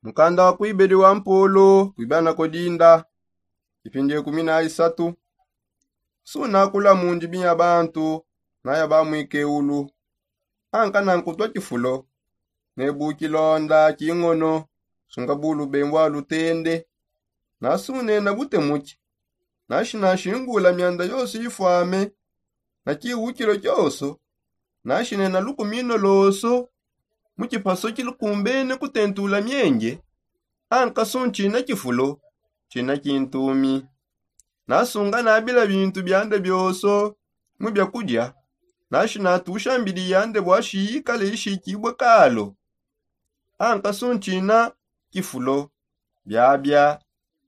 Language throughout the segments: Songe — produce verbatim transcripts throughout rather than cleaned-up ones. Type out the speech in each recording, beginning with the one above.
Mukanda wa kuibedi wa mpolo kuibanako dinda. Ipindi ikumi na isatu. Sunakula mu ndimi ya bantu na ya bamwikeulu. Anka na nkutwa kifulo ne bukilonda kingono, sunga bulubembwa lutende. Nasunena butemuki. Nashi nashingula myanda yose ifwame na kiwukilo kyose. Nashi nena lukumino lose mu kipaso kilukumbene kutentula myenge. Anka su nchina kifulo, nchina kintumi. Nasunga nabila bintu byande byose mu byakulya. Nashi natusha mbidi yande bwashi yikale ishikibwe kalo. Anka su nchina kifulo, byabya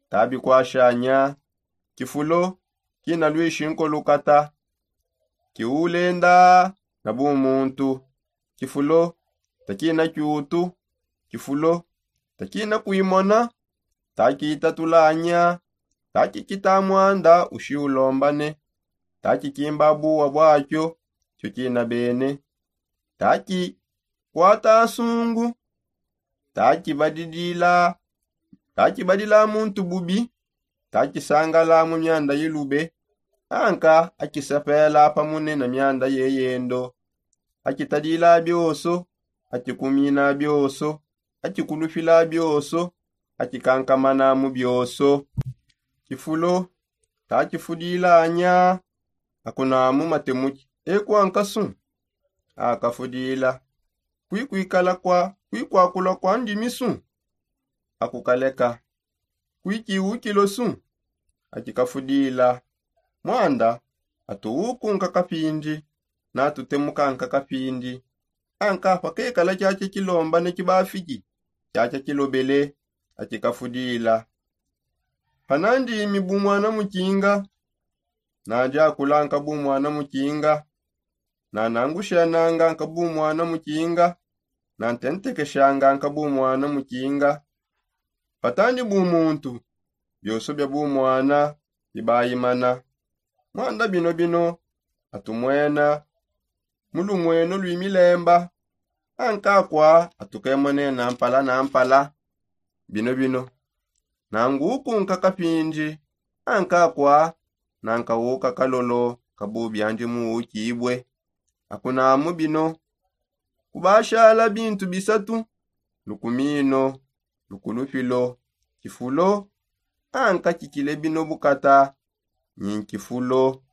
tabikwashanya. Kifulo kina lwishi nkolukata. Kiulenda na bumuntu. Kifulo takina kyutu. Kifulo takina kuimona. Takitatulanya. Takikita mwanda ushiulombane. Takikimba buwa bwakyo kyo kina bene. Takikwata asungu. Takibadidila. Takibadila muntu bubi. Takisangala mu myanda yilube. Anka akisapela pamune na myanda yeyendo. Akitadila byoso. Akikumina byoso. Akikulupila byoso. Akikankamana mu byoso. Kifulo takifudilanya. Akunamu matemuki ekwankasu. Akafudila. Kwikwikala kwa kwikwakula kwa ndimisu. Akukaleka. Kwikiwukilosu. Akikafudila. Mwanda atuwukunka kapindi. Natutemukanka kapindi. Anka pakekala kyakya kilombane kibafiki kyakya kilobele. Akikafudila. Panandimi bumwana mukinga. Nandi akulanka bumwana mukinga. Nanangushananga nka bumwana mukinga. Nantentekeshanga nka bumwana mukinga. Patandi bumuntu byose bya bumwana bibayimana. Mwanda bino bino atumwena mu lumweno lwimilemba. Ankakwa atukemonena mpala na mpala. Bino bino nangukunka kapindi. Ankakwa nankawuka kalolo kabubyandi muwukibwe. Akunamu bino kubashala bintu bisatu. Lukumino lukulupilo kifulo. Anka kikile bino bukata nyi nkifulo.